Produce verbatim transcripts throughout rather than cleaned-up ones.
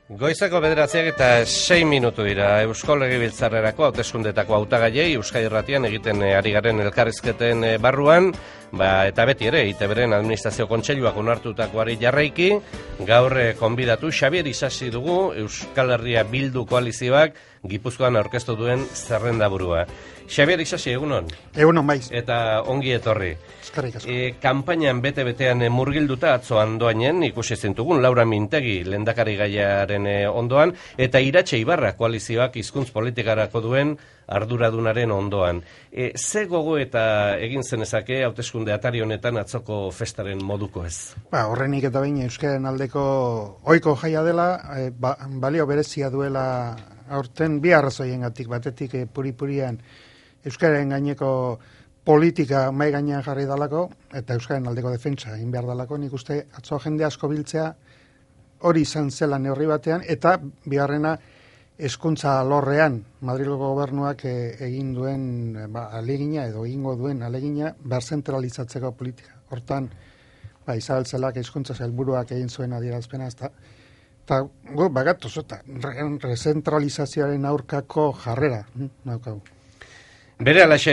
Goizeko bederatziak eta sei minutu dira Eusko Legebiltzarrerako hauteskundetako hautagaiei Euskadi Irratian egiten ari garen elkarrizketen barruan, ba, eta beti ere, I T Bren Administrazio Kontseiluak onartutakoari jarraiki, gaur konbidatu Xabier Isasi dugu Euskal Herria Bildu koalizioak Gipuzkoan aurkeztu duen zerrendaburua. Xabier Isasi, egunon? Egunon, baiz. Eta ongi etorri. Eskerrik asko. E, kanpainan bete-betean murgilduta atzo andoainen, ikusi zintugun, Laura Mintegi lehendakari gaiaren ondoan, eta Iratxe Ibarra koalizioak hizkuntz politikarako duen arduradunaren ondoan. E, ze gogo eta egin zenezake hauteskunde atari honetan atzoko festaren moduko ez? Ba, horrenik eta behin euskaren aldeko ohiko jaia dela, e, ba, balio berezia duela aurten bi arrazoiengatik, batetik e, puri-purian euskaren gaineko politika mai gainean jarri dalako, eta euskaren aldeko defentsa egin behar dalako, nik uste atzo jende asko biltzea hori izan zela neurri batean, eta bigarrena hezkuntza alorrean Madrilgo gobernuak e, egin duen ba, alegina edo egingo duen alegina berzentralizatzeko politika. Hortan, ba, Isabel Zelak hezkuntza sailburuak egin zuen adierazpena, ezta. Eta gu bagatoz, eta rezentralizazioaren aurkako jarrera naukagu. Bere alaxe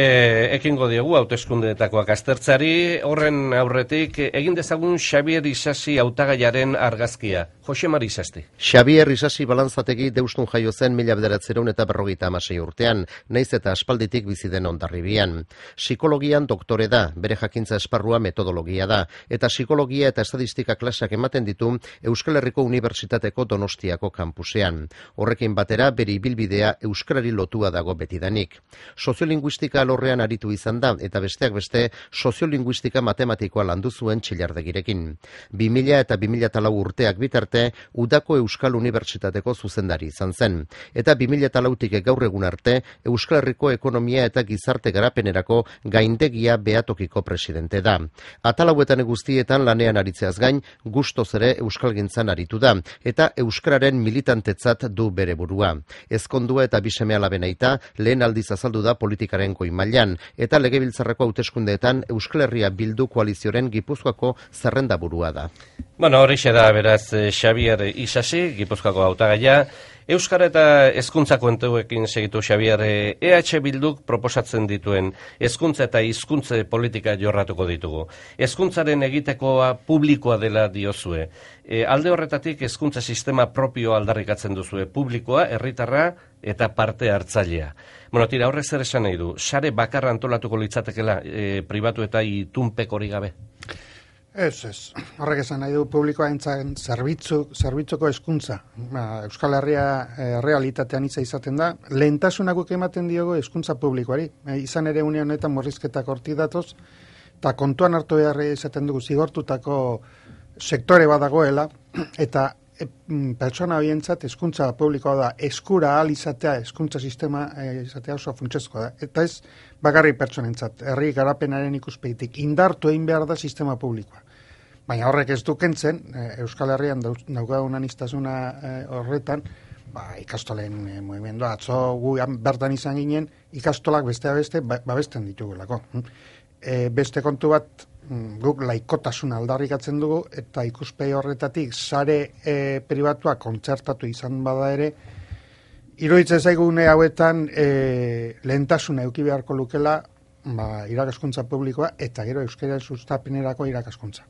ekingo diogu hauteskundetakoak aztertzari, horren aurretik egin dezagun Xabier Isasi hautagaiaren argazkia. Jose Mari Isasti. Xabier Isasi balantzategi Deustun jaio zen mila bederatziehun eta berrogeita hamasei urtean, naiz eta aspalditik bizi den Hondarribian. Psikologian doktore da, bere jakintza esparrua metodologia da, eta psikologia eta estadistika klaseak ematen ditu Euskal Herriko Unibertsitateko Donostiako kampusean. Horrekin batera bere ibilbidea euskarari lotua dago betidanik. Soziolinguistika alorrean aritu izan da, eta besteak beste soziolinguistika matematikoa landu zuen Txillardegirekin. bi mila eta bi mila lau urteak bitarte Udako Euskal Unibertsitateko zuzendari izan zen, eta bi mila lautik gaur egun arte Euskal Herriko ekonomia eta gizarte garapenerako gaindegia behatokiko presidente da. Atalauetan guztietan lanean aritzeaz gain, gustoz ere euskalgintzan aritu da, eta euskararen militantetzat du bere burua. Ezkondua eta biseme alaben aita, lehen aldiz azaldu da politikaren goi mailan, eta Legebiltzarreko hauteskundeetan Euskal Herria Bildu koalizioaren Gipuzkoako zerrendaburua da. Bueno, horixe da beraz Xabier Isasi, Gipuzkoako hautagaia. Euskara eta hezkuntza kontuekin segitu Xabier, E H Bilduk proposatzen dituen hezkuntza eta hizkuntza politika jorratuko ditugu. Hezkuntzaren egitekoa publikoa dela diozue. E, alde horretatik hezkuntza sistema propio aldarrikatzen duzue, publikoa, herritarra eta parte hartzailea. Bueno, tira, horrek zer esan nahi du? Sare bakarra antolatuko litzatekela e, pribatu eta itunpek hori gabe? Ez, ez. Horrek esan nahi du publikoa entzaren zerbitzu, zerbitzuko hezkuntza. Ba, Euskal Herria e, realitatean itza izaten da. Lehentasunak ematen diogo hezkuntza publikoari. E, izan ere une honetan murrizketak hortik datoz, eta kontuan hartu behar izaten dugu zigortutako sektore badagoela, eta e, pertsona horientzat hezkuntza publikoa da eskura ahal izatea, hezkuntza sistema e, izatea oso funtsezkoa da. Eta ez bakarri pertsonentzat, herri garapenaren ikuspegitik indartu egin behar da sistema publikoa. Baina horrek ez du kentzen, Euskal Herrian daukagun aniztasuna horretan, ba, ikastolen e, mugimendua, atzo gu bertan izan ginen, ikastolak bestea beste, ba, babesten ditugulako. E, beste kontu bat, guk laikotasuna aldarrikatzen dugu, eta ikuspegi horretatik sare e, pribatua kontzertatu izan bada ere, iruditzen zaigune hauetan e, lehentasuna eduki beharko lukela, ba, irakaskuntza publikoa eta gero euskara sustapenerako irakaskuntza.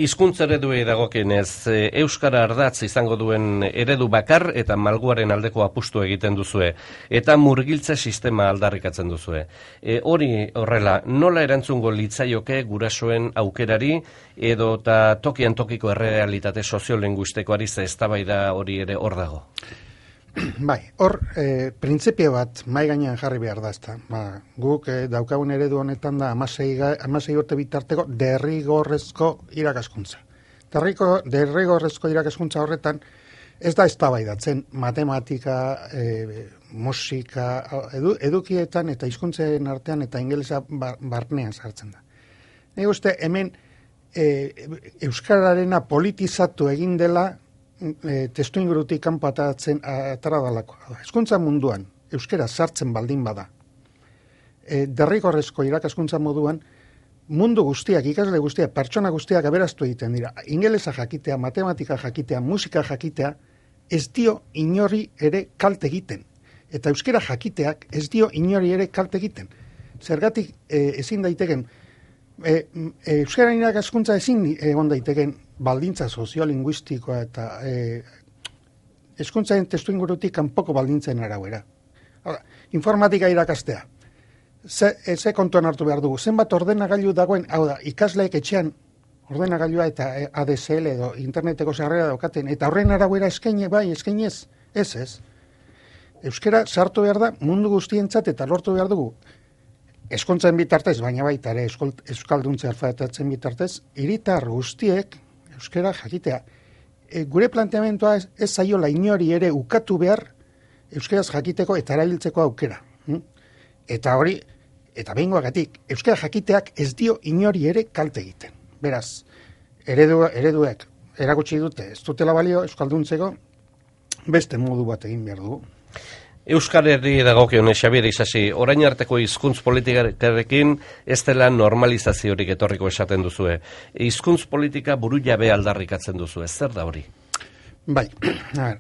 Hizkuntza ereduei dagokienez, euskara ardatz izango duen eredu bakar eta malguaren aldeko apustu egiten duzue, eta murgiltze sistema aldarrikatzen duzue. E, hori horrela, nola erantzungo litzaioke gurasoen aukerari edo eta tokian tokiko errealitate soziolinguistikoari ze eztabaida hori ere hor dago? Bai, hor, e, printzipio bat mai gainean jarri behar da, ezta. Ba, guk e, daukagun eredu honetan da hamasei urte bitarteko derrigorrezko irakaskuntza. Derriko, derrigorrezko irakaskuntza horretan ez da eztabaidatzen matematika, e, musika, edu, edukietan eta hizkuntzen artean eta ingelesa bar, barnean sartzen da. Nik uste hemen e, euskararena politizatu egin dela E, testu ingurutik kanpo atatzen atara dalako. Hezkuntza munduan euskera sartzen baldin bada. E, derrigorrezko irakaskuntza moduan mundu guztiak, ikasle guztiak, pertsona guztiak aberaztu egiten dira. Ingelesa jakitea, matematika jakitea, musika jakitea, ez dio inori ere kalte egiten. Eta euskera jakiteak ez dio inori ere kalte egiten. Zergatik e, ezin daiteken, e, e, euskara irakaskuntza ezin egon daiteken baldintza soziolinguistikoa eta e, hezkuntzaren testu ingurutik kanpoko baldintzen arauera. Hala, informatika irakastea. Ze, ze kontuan hartu behar dugu. Zenbat ordenagailu dagoen, hau da, ikasleek etxean ordenagailua eta A D S L edo interneteko sarrera daukaten, eta horren arauera eskaine bai, eskainez, ez ez. Euskara sartu behar da mundu guztientzat eta lortu behar dugu. Hezkuntzaren bitartez, baina baita ere euskalduntze alfabetatzen bitartez, hiritar guztiek euskara jakitea. E, gure planteamentoa ez, ez zaiola inori ere ukatu behar euskaraz jakiteko eta erabiltzeko aukera. Hm? Eta hori, eta behingoagatik, euskara jakiteak ez dio inori ere kalte egiten. Beraz, eredu, ereduek erakutsi dute ez dutela balio euskalduntzeko, beste modu bat egin behar dugu. Euskal Herri dagokion Xabier Isasi, orain arteko hizkuntz politikarekin ez dela normalizaziorik etorriko esaten duzue. Hizkuntz politika buru jabe aldarrikatzen duzue, zer da hori? Bai,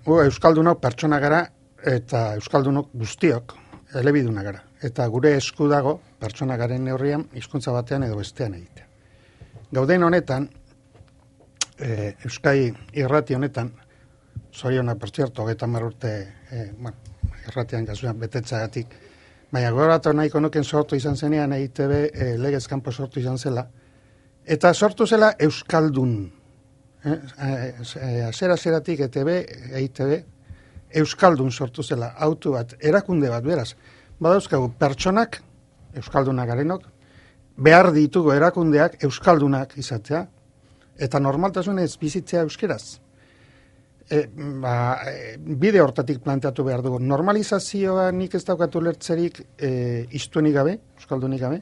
euskaldunok pertsona gara eta euskaldunok guztiok elebiduna gara. Eta gure esku dago pertsona garen neurrian hizkuntza batean edo bestean egitea. Gauden honetan, e, Euskai irrati honetan, zoriona, per zerto, hogeita hamar urte, e, bueno, irratian gazuan betetzagatik, baina gogoratu nahiko nuken sortu izan zenean E I T B, e, legez kanpo sortu izan zela, eta sortu zela euskaldun. Eh? Azera-zeratik E T B, E I T B, euskaldun sortu zela, autu bat, erakunde bat, beraz. Badauzkagu, pertsonak, euskaldunak garenok, behar ditugu erakundeak euskaldunak izatea, eta normaltasunez bizitzea euskeraz. E, ba, e, bide hortatik planteatu behar dugu. Normalizazioa nik ez daukatu lertzerik e, iztuenik gabe, euskaldunik gabe,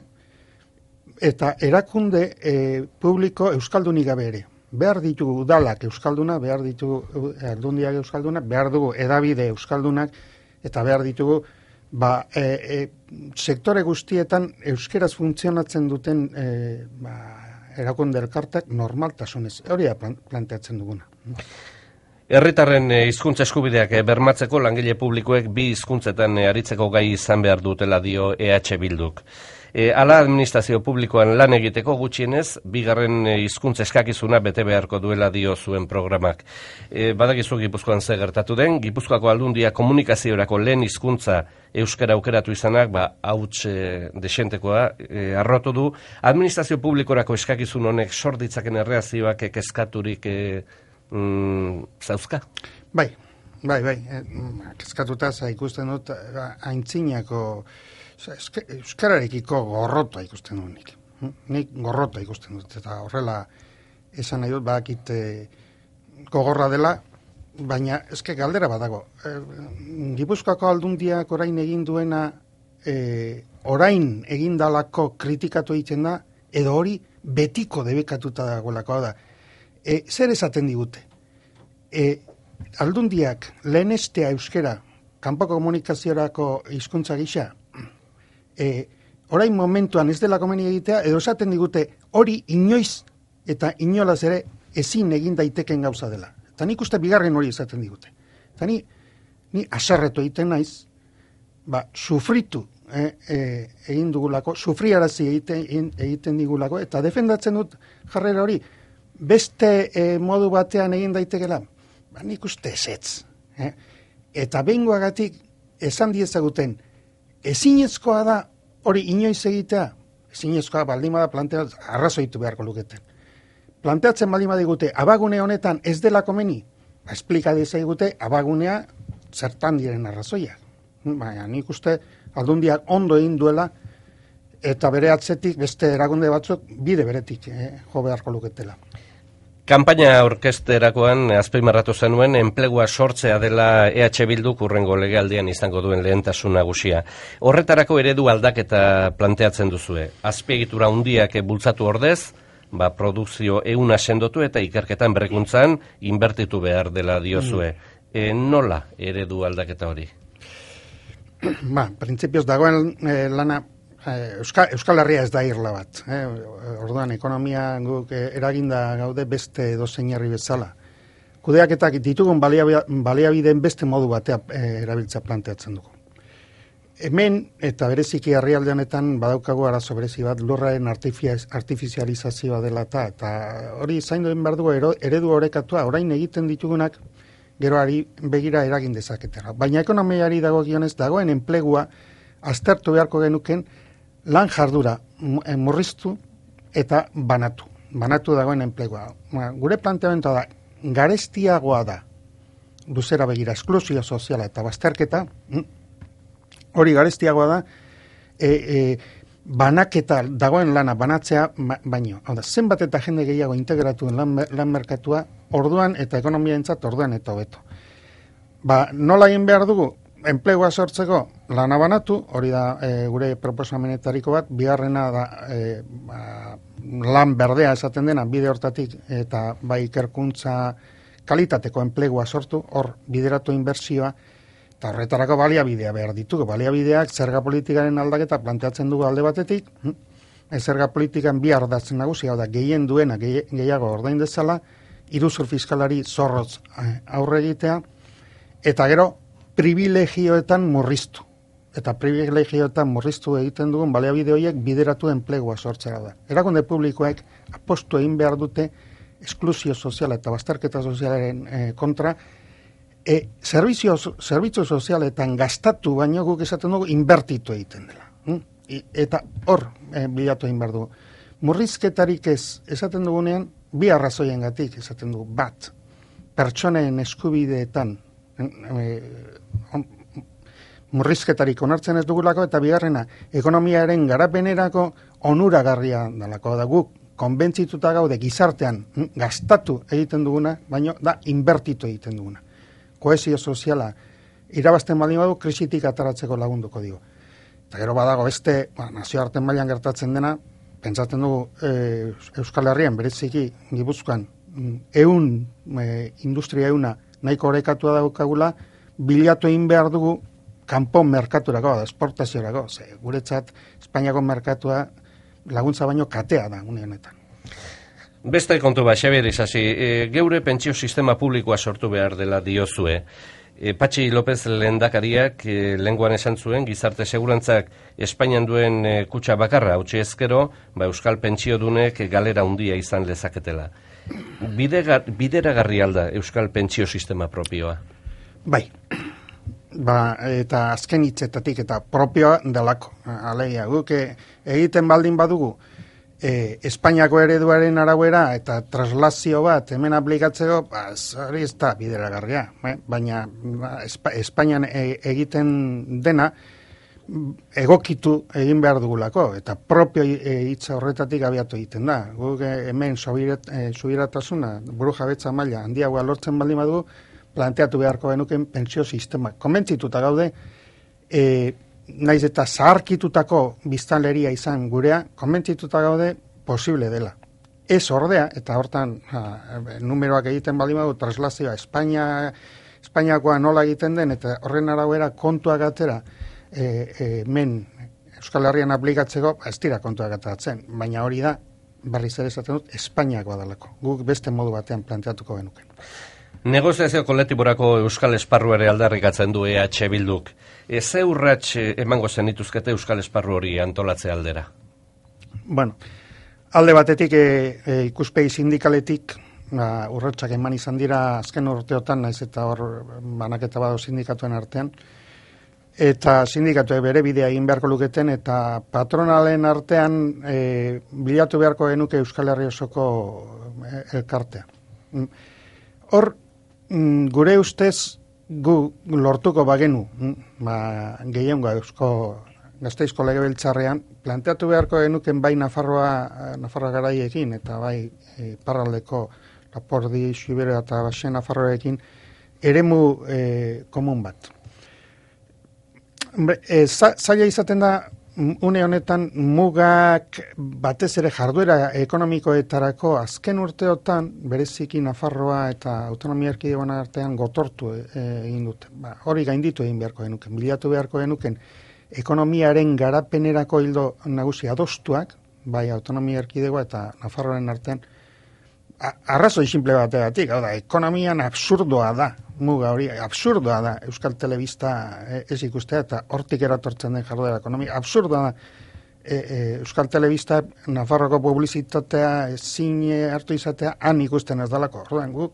eta erakunde e, publiko euskaldunik gabe ere. Behar ditugu udalak euskalduna, behar ditugu aldundiak euskalduna, behar dugu edabide euskaldunak, eta behar ditugu ba, e, e, sektore guztietan euskeraz funtzionatzen duten e, ba, erakunde elkartak normaltasunez. Hori da planteatzen duguna. Herritarren hizkuntza eskubideak bermatzeko langile publikoek bi hizkuntzetan aritzeko gai izan behar dutela dio E H Bilduk. E, ala administrazio publikoan lan egiteko gutxienez, bigarren hizkuntza eskakizuna bete beharko duela dio zuen programak. E, badakizu Gipuzkoan ze gertatu den, Gipuzkoako Aldundia komunikaziorako lehen hizkuntza euskara aukeratu izanak, ba, hauts e, desentekoa e, arrotu du. Administrazio publikorako eskakizun honek sorditzaken erreazioak kezkaturik e, mm, zauzka? Bai, bai, bai. E, kezkatuta za ikusten dut aintzinako euskararekiko gorrotoa ikusten dut nik. Nik gorrotoa ikusten dut, eta horrela esan nahi dut, badakit e, gogorra dela, baina eske galdera badago. E, Gipuzkoako Aldundiak orain egin duena, e, orain egindalako kritikatu egiten da, edo hori betiko debekatuta dagoelako da. E, zer esaten digute? E, Aldundiak lehenestea euskera, kanpoko komunikaziorako hizkuntza gisa, E, orain momentuan ez dela komeni egitea, edo esaten digute hori inoiz eta inolaz ere ezin egin daiteken gauza dela. Eta nik uste bigarren hori esaten digute. Eta ni, ni aserretu egiten naiz, ba, sufritu eh, eh, egin dugulako, sufriarazi egiten, egiten digulako, eta defendatzen dut jarrera hori, beste eh, modu batean egin daitekela, ba, nik uste ezetz. Eh? Eta behingoagatik esan diezaguten, ezinezkoa da hori inoiz egitea, ezinezkoa baldin bada planteatzen, arrazoitu beharko luketen. Planteatzen baldin badigute, abagune honetan ez dela komeni, ba, esplika dezagute abagunea zertan diren arrazoiak. Baina nik uste Aldundiak ondo egin duela, eta bere atzetik beste erakunde batzuk bide beretik eh, jo beharko luketela. Kanpaina orkesterakoan azpimarratu zenuen enplegua sortzea dela E H Bilduk hurrengo legealdian izango duen lehentasun nagusia. Horretarako eredu aldaketa planteatzen duzue. Azpiegitura handiak bultzatu ordez, ba, produkzio ehuna sendotu eta ikerketan berrikuntzan inbertitu behar dela diozue. E, nola eredu aldaketa hori? Ba, printzipioz dagoen eh, lana Euskal, Euskal Herria ez da irla bat. Eh? Orduan, ekonomia guk eraginda gaude beste dozein herri bezala. kudeaketak ditugun baliabideen beste modu batea e, erabiltza planteatzen dugu. Hemen, eta bereziki herrialdeanetan badaukagu arazo berezi bat, lurraren artifizializazioa dela eta, eta hori zaindu den behar dugu eredu orekatua, orain egiten ditugunak geroari begira eragin dezaketera. Baina ekonomiari dagokionez dagoen enplegua aztertu beharko genuken lan jardura murriztu eta banatu. Banatu dagoen enplegua. Gure planteamendua da, garestiagoa da, luzera begira, esklusio soziala eta bazterketa, hori garestiagoa da, e, e, banaketa dagoen lana banatzea baino. Hau da, zenbat eta jende gehiago integratuen lan, lan merkatua, orduan eta ekonomiaentzat orduan eta hobeto. Ba, nola egin behar dugu? Enplegua sortzeko lana banatu, hori da e, gure proposamenetariko bat, bigarrena da e, ba, lan berdea esaten dena, bide hortatik eta bai ikerkuntza kalitateko enplegua sortu, hor bideratu inbertsioa, eta horretarako baliabidea behar ditugu. Baliabideak zerga politikaren aldaketa planteatzen dugu alde batetik, zerga politikan bi ardatzen nagusi, hau da, gehien duena gehiago ordain dezala, iruzur fiskalari zorrotz aurre egitea, eta gero privilegioetan murriztu. Eta privilegioetan murriztu egiten dugun baliabide horiek bideratu enplegua sortzera da. Erakunde publikoek apostu egin behar dute esklusio soziala eta bazterketa sozialaren eh, kontra, E, servizio, servizio sozialetan gastatu baino guk esaten dugu inbertitu egiten dela. Hm? I, eta hor e, bilatu egin behar dugu. Murrizketarik ez esaten dugunean, bi arrazoien gatik esaten dugu. Bat, pertsonen eskubideetan e, on, murrizketarik onartzen ez dugulako, eta bigarrena, ekonomiaren garapenerako onuragarria dalako. Da guk konbentzituta gaude gizartean hm? gastatu egiten duguna, baino da inbertitu egiten duguna. Kohesio soziala irabazten baldin badu krisitik ataratzeko lagunduko dio. Eta gero badago beste, ba, nazioarten mailan gertatzen dena, pentsatzen dugu e, Euskal Herrian bereziki Gipuzkoan ehun e, industria ehuna nahiko orekatua daukagula, bilatu egin behar dugu kanpo merkaturako, esportaziorako, ze guretzat Espainiako merkatua laguntza baino katea da une honetan. Beste kontu bat, Xabier Isasi, e, geure pentsio sistema publikoa sortu behar dela diozue. E, Patxi López lehendakariak e, lenguan esan zuen, gizarte segurantzak Espainian duen e, kutxa bakarra, hautsi ezkero, ba, Euskal pentsiodunek galera handia izan lezaketela. Bideragarri alda Euskal pentsio sistema propioa? Bai, ba, eta azken hitzetatik eta propioa delako. Alegia, guk egiten baldin badugu, E, Espainiako ereduaren arauera eta traslazio bat hemen aplikatzeko, ba, hori ez da bideragarria, eh? Baina ba, Espa, Espainian e, egiten dena egokitu egin behar dugulako, eta propio hitza horretatik abiatu egiten da. Guk e, hemen subiratasuna, buru jabetza maila handiagoa lortzen baldin badugu, planteatu beharko genuken pentsio sistema. Konbentzituta gaude, e, naiz eta zaharkitutako biztanleria izan gurea, konbentzituta gaude posible dela. Ez ordea, eta hortan ha, numeroak egiten baldin badu, traslazioa Espainia, Espainiakoa nola egiten den, eta horren arauera kontuak atera, e, e, men Euskal Herrian aplikatzeko, ez dira kontuak ateratzen, baina hori da, berriz ere esaten dut, Espainiakoa dalako. Guk beste modu batean planteatuko genuken. Negoziazio kolektiborako Euskal Esparru ere aldarrikatzen du E H Bilduk. E, ze urrats emango zenituzkete Euskal Esparru hori antolatze aldera? Bueno, alde batetik e, e, ikuspegi sindikaletik ba, urratsak eman izan dira azken urteotan, naiz eta hor banaketa badu sindikatuen artean, eta sindikatuek bere bidea egin beharko luketen, eta patronalen artean e, bilatu beharko genuke Euskal Herri osoko e, elkartea. Hor, gure ustez gu lortuko bagenu, ba, gehiengoa Eusko Gasteizko Legebiltzarrean, planteatu beharko genuken bai Nafarroa, Nafarroa garaiekin, eta bai e, parraldeko Lapordi, Xibero eta Baxe Nafarroekin, eremu e, komun bat. E, zaila izaten da, une honetan mugak batez ere jarduera ekonomikoetarako azken urteotan bereziki Nafarroa eta autonomia erkidegoen artean gotortu egin dute. Ba, hori gainditu egin beharko genuken, bilatu beharko genuken ekonomiaren garapenerako hildo nagusi adostuak, bai autonomia erkidegoa eta Nafarroaren artean, arrazoi simple bategatik, hau da, ekonomian absurdoa da, muga hori, absurdoa da, Euskal Telebista ez ikustea, eta hortik eratortzen den jarduera ekonomia, absurdoa da, e, e, Euskal Telebista, Nafarroko publizitatea, ezin hartu izatea, han ikusten ez dalako, orduan, guk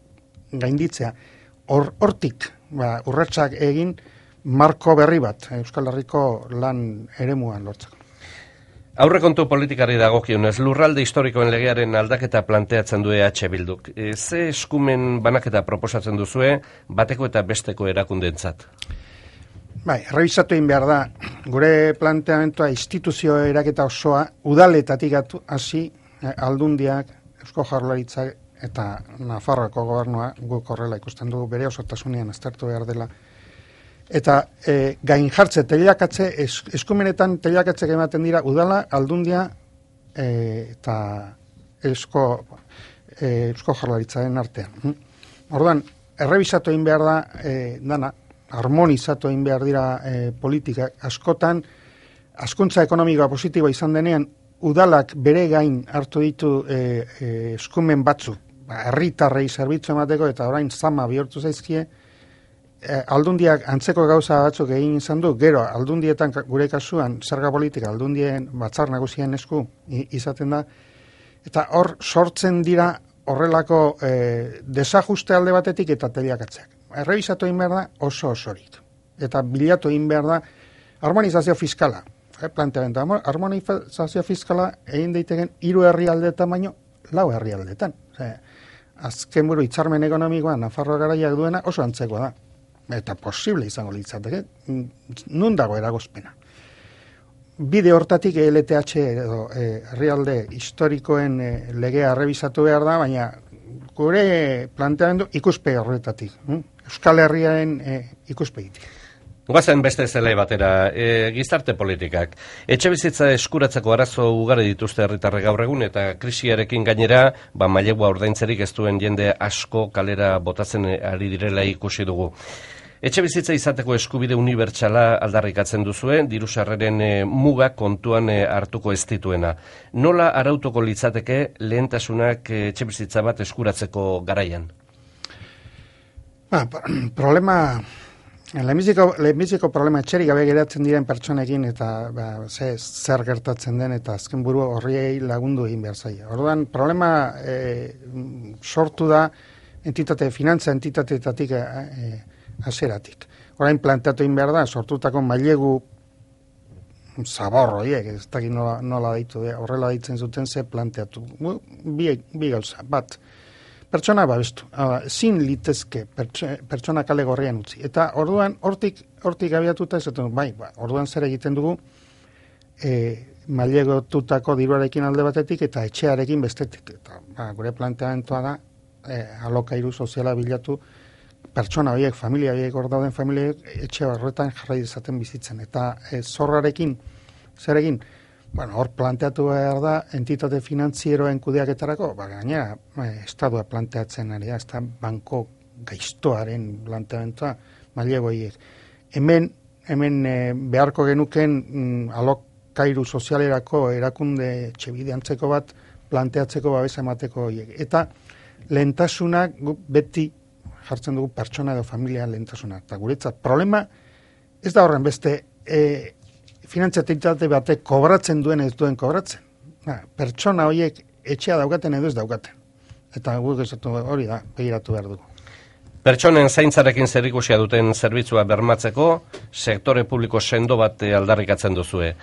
gainditzea, hor, hortik, ba, urratsak egin, marko berri bat, Euskal Herriko lan eremuan lortzeko. Aurrekontu politikari dagokionez, lurralde historikoen legearen aldaketa planteatzen du E H Bilduk. E, ze eskumen banaketa proposatzen duzue bateko eta besteko erakundentzat? Bai, errebisatu egin behar da, gure planteamentua instituzio eraketa osoa udaletatik hasi eh, aldundiak, Eusko Jaurlaritzak eta Nafarroako gobernua guk horrela ikusten dugu bere osotasunean aztertu behar dela. Eta e, gain jartze, telakatze, es, eskumenetan telakatze ematen dira udala, aldundia e, eta eusko, e, eusko Jaurlaritzaren artean. Orduan, errebisatu egin behar da, e, dana, harmonizatu egin behar dira e, politika askotan, hazkuntza ekonomikoa positiboa izan denean, udalak bere gain hartu ditu e, e, eskumen batzu, ba, herritarrei zerbitzu emateko eta orain zama bihurtu zaizkie, aldundiak antzeko gauza batzuk egin izan du, gero aldundietan gure kasuan zerga politika aldundien batzar nagusien esku izaten da, eta hor sortzen dira horrelako e, desajuste alde batetik eta telakatzeak. Errebisatu egin behar da oso osorik. Eta bilatu egin behar da harmonizazio fiskala. E, planteamendu, harmonizazio fiskala egin daiteken hiru herrialdeetan baino lau herrialdeetan. E, azken buru hitzarmen ekonomikoa Nafarroa garaiak duena oso antzekoa da. Eta posible izango litzateke, nun dago eragozpena. Bide hortatik E L T H edo herrialde e, historikoen e, legea errebisatu behar da, baina gure planteamendu ikuspegi horretatik, hm? Euskal Herriaren e, ikuspegitik. Goazen beste zelai batera, e, gizarte politikak. Etxebizitza eskuratzeko arazo ugari dituzte herritarrek gaur egun eta krisiarekin gainera, ba mailegua ordaintzerik ez duen jende asko kalera botatzen ari direla ikusi dugu. Etxebizitza izateko eskubide unibertsala aldarrikatzen duzue, diru sarreren e, muga kontuan e, hartuko ez dituena. Nola arautuko litzateke lehentasunak e, etxebizitza bat eskuratzeko garaian? Ba, problema... Lehenbiziko, lehenbiziko problema etxerik gabe geratzen diren pertsonekin eta ba, ze, zer gertatzen den eta azken buru horriei lagundu egin behar zaila. Orduan, problema e, sortu da entitate, finantza entitateetatik e, haseratik. Orain planteatu egin behar da, sortutako mailegu zaborro, ez dakit nola, nola daitu, horrela daitzen zuten ze planteatu. Bi, bi gauza, bat, pertsona babestu, zin litezke pertsona kale gorrian utzi. Eta orduan, hortik, hortik abiatuta ez dut, bai, ba, orduan zer egiten dugu, e, mailegotutako diruarekin alde batetik eta etxearekin bestetik. Eta ba, gure planteamentua da, e, alokairu soziala bilatu, pertsona horiek, familia horiek, hor dauden familia horiek, etxe horretan jarrai dezaten bizitzen. Eta e, zorrarekin, zer egin, bueno, hor planteatu behar da entitate finantzieroen kudeaketarako, ba, gainera, eh, estadua planteatzen ari da, ez da banko gaiztoaren planteamentua mailegoiek. Hemen, hemen eh, beharko genuken mm, alokairu sozialerako erakunde etxebide antzeko bat planteatzeko babesa emateko horiek. Eta lehentasunak beti jartzen dugu pertsona edo familia lehentasuna. Eta guretzat, problema ez da horren beste eh, finantziatitate batek kobratzen duen ez duen kobratzen. Na, pertsona horiek etxea daukaten edo ez daukaten. Eta guk esatu hori da, begiratu behar dugu. Pertsonen zaintzarekin zerikusia duten zerbitzua bermatzeko, sektore publiko sendo bat aldarrikatzen duzue.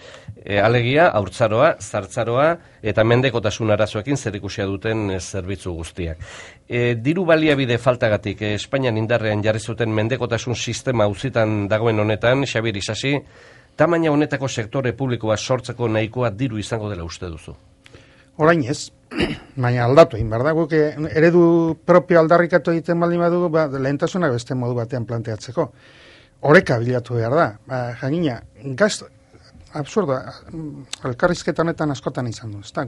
E, alegia, haurtzaroa, zartzaroa eta mendekotasun arazoekin zerikusia duten zerbitzu guztiak. E, diru baliabide faltagatik e, Espainian indarrean jarri zuten mendekotasun sistema auzitan dagoen honetan, Xabier Isasi, tamaina honetako sektore publikoa sortzeko nahikoa diru izango dela uste duzu? Orain ez, baina aldatu egin behar da, guk eredu propio aldarrikatu egiten baldin badugu, ba, lehentasunak beste modu batean planteatzeko. Oreka bilatu behar da, ba, jangina, gazt, absurda, elkarrizketa honetan askotan izan du. Ezta,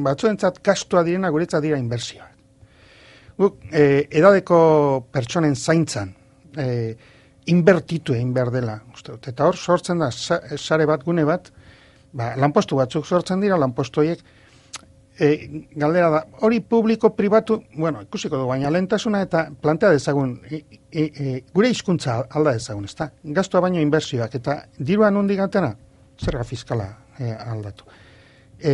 batzuentzat gastua direna guretzat dira inbertsioak. Guk e, edadeko pertsonen zaintzan, e, inbertitu egin behar dela, uste dut. Eta hor sortzen da sare bat, gune bat, ba, lanpostu batzuk sortzen dira, lanpostu horiek e, galdera da, hori publiko pribatu, bueno, ikusiko du, baina lehentasuna eta plantea dezagun, e, e, e, gure hizkuntza alda dezagun, ezta? Gastua baino inbertsioak, eta dirua nondik atera, zerga fiskala e, aldatu. E,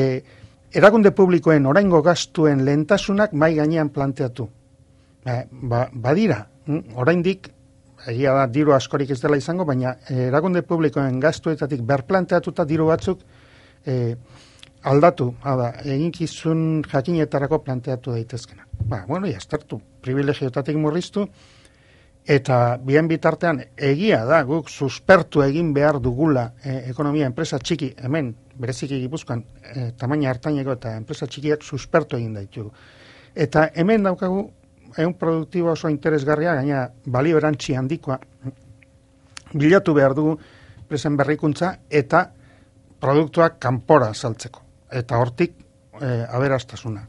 erakunde publikoen oraingo gastuen lehentasunak mai gainean planteatu. Ba, ba, badira, oraindik, egia da diru askorik ez dela izango, baina e, erakunde publikoen gastuetatik berplanteatuta diru batzuk e, aldatu, hada, eginkizun jakinetarako planteatu daitezkena. Ba, bueno, jastartu, privilegiotatik murriztu, eta bien bitartean egia da, guk suspertu egin behar dugula e, ekonomia enpresa txiki, hemen, bereziki Gipuzkoan, e, tamaina hartaineko eta enpresa txikiak suspertu egin daitugu. Eta hemen daukagu, ehun produktibo oso interesgarria, gaina balio erantzi handikoa, bilatu behar dugu enpresen berrikuntza eta produktuak kanpora saltzeko. Eta hortik e, aberastasuna.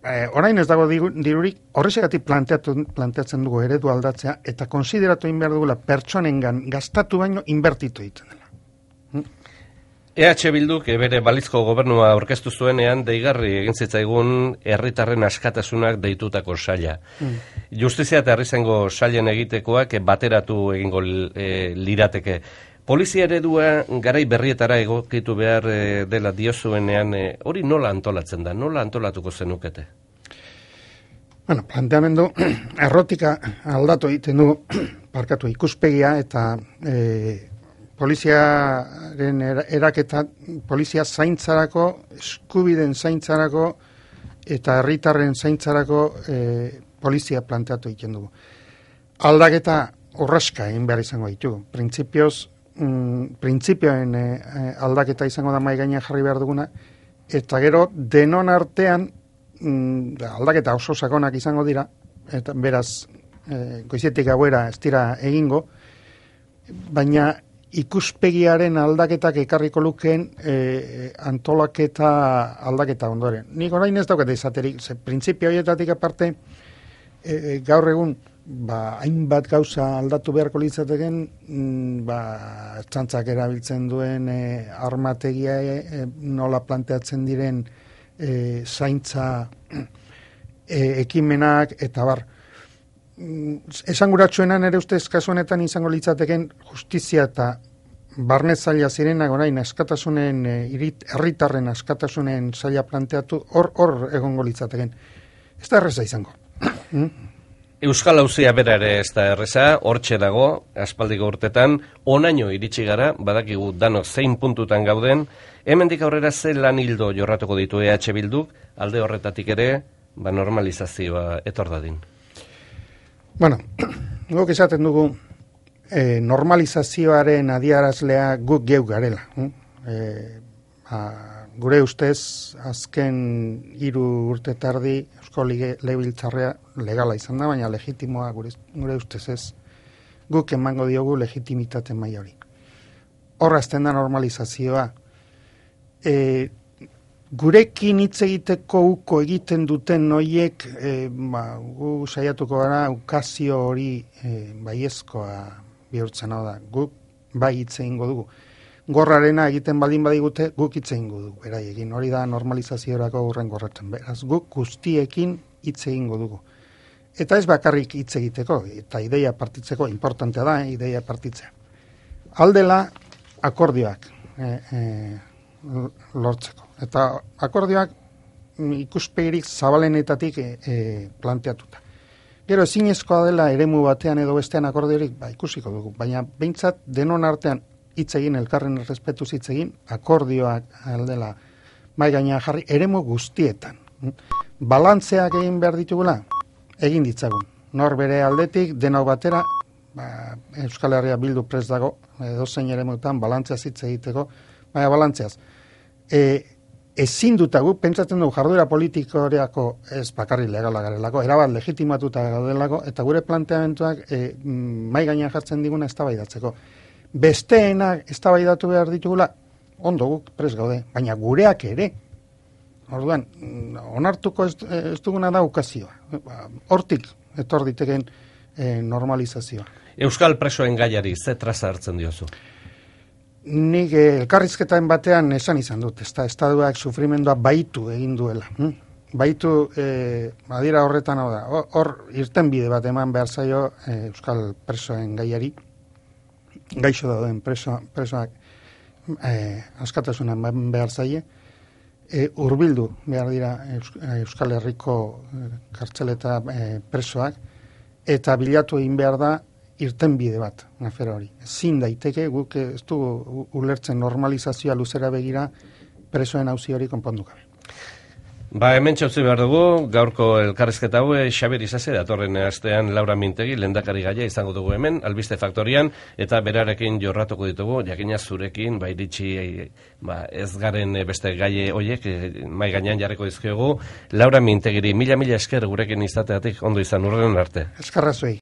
E, orain ez dago dirurik, horrexegatik planteatzen dugu eredu aldatzea, eta konsideratu egin behar dugula pertsonengan gastatu baino inbertitu egiten dela. Hm? E H Bilduk bere balizko gobernua aurkeztu zuenean deigarri egin zitzaigun herritarren askatasunak deitutako saila. Mm. Justizia eta herrizengo sailen egitekoak bateratu egingo e, lirateke. Polizia eredua garai berrietara egokitu behar e, dela diozuenean, e, hori nola antolatzen da, nola antolatuko zenukete? Bueno, planteamendu errotika aldatu egiten du parkatu ikuspegia eta e, poliziaren eraketa, polizia zaintzarako, eskubiden zaintzarako eta herritarren zaintzarako e, polizia planteatu egiten dugu. Aldaketa urraska egin behar izango ditugu. Printzipioz, mm, printzipioen e, aldaketa izango da mai gainean jarri behar duguna, eta gero denon artean mm, aldaketa oso sakonak izango dira, eta beraz e, goizetik gauera ez dira egingo, baina ikuspegiaren aldaketak ekarriko lukeen e, antolaketa aldaketa ondoren. Nik orain ez daukat izaterik, ze printzipio horietatik aparte e, gaur egun ba, hainbat gauza aldatu beharko litzateken, mm, ba, txantzak erabiltzen duen e, armategia e, nola planteatzen diren e, zaintza e, ekimenak eta bar. Esanguratsuenan ere ustez kasu honetan izango litzateken justizia eta barne zaila zirenak orain askatasunen herritarren askatasunen zaila planteatu hor hor egongo litzateken. Ez da erreza izango. Euskal Auzia bera ere ez da erreza, hortxe dago, aspaldiko urtetan, onaino iritsi gara, badakigu danok zein puntutan gauden, hemendik aurrera ze lan hildo jorratuko ditu E H Bilduk, alde horretatik ere, ba normalizazioa etor dadin. Bueno, guk esaten dugu e, normalizazioaren adiarazlea guk geu garela. E, ba, gure ustez, azken hiru urte tardi Eusko Legebiltzarra legala izan da, baina legitimoa gure, gure ustez ez. Guk emango diogu legitimitate maila hori. Horrazten da normalizazioa. E, Gurekin hitz egiteko uko egiten duten noiek, e, ba, gu saiatuko gara ukazio hori e, baiezkoa bihurtzen hau da. Guk bai hitz egingo dugu. Gorrarena egiten baldin badigute, guk hitz egingo dugu. Beraiekin hori da normalizaziorako urren gorratzen. Beraz, guk guztiekin hitz egingo dugu. Eta ez bakarrik hitz egiteko, eta ideia partitzeko, importantea da, eh, ideia partitzea. Aldela akordioak e, e, lortzeko. Eta akordioak ikuspegirik zabalenetatik e, e, planteatuta. Gero ezinezkoa dela eremu batean edo bestean akordiorik, ba, ikusiko dugu. Baina behintzat denon artean hitz egin, elkarren errespetuz hitz egin, akordioak aldela mai gainean jarri eremu guztietan. Balantzeak egin behar ditugula, egin ditzagun. Nor bere aldetik, denok batera, ba, Euskal Herria Bildu prest dago, edozein eremutan balantzeaz hitz egiteko, baina balantzeaz. E, ezin dutagu, pentsatzen dugu jarduera politikoreako ez bakarri legala garelako, erabat legitimatuta gaudelako, eta gure planteamentuak e, mai gainean jartzen diguna eztabaidatzeko. Besteenak eztabaidatu behar ditugula, ondo guk prest gaude, baina gureak ere. Orduan, onartuko ez, ez duguna da ukazioa. Hortik etor diteken e, normalizazioa. Euskal presoen gaiari ze traza hartzen diozu? nik elkarrizketaren batean esan izan dut, ez da, estaduak sufrimendua baitu egin duela. Hm? Baitu, e, badira horretan hau da, hor irten bide bat eman behar zaio e, euskal presoen gaiari, gaixo dauden preso, presoak e, askatasunan behar zaie, e, urbildu behar dira Euskal Herriko kartzeleta e, presoak, eta bilatu egin behar da irten bide bat, afera hori. Ezin daiteke, guk ez du ulertzen normalizazioa luzera begira presoen auzi hori konpondu gabe. Ba, hemen txautzi behar dugu, gaurko elkarrizketa hau, Xabier Isasi, datorren astean Laura Mintegi, lehendakari gaia izango dugu hemen, Albiste Faktorian, eta berarekin jorratuko ditugu, jakina zurekin, ba, iritsi, ba, ez garen beste gaie hoiek, mai gainean jarriko dizkiogu, Laura Mintegiri, mila mila esker gurekin izateatik, ondo izan urren arte. Eskerra zuei.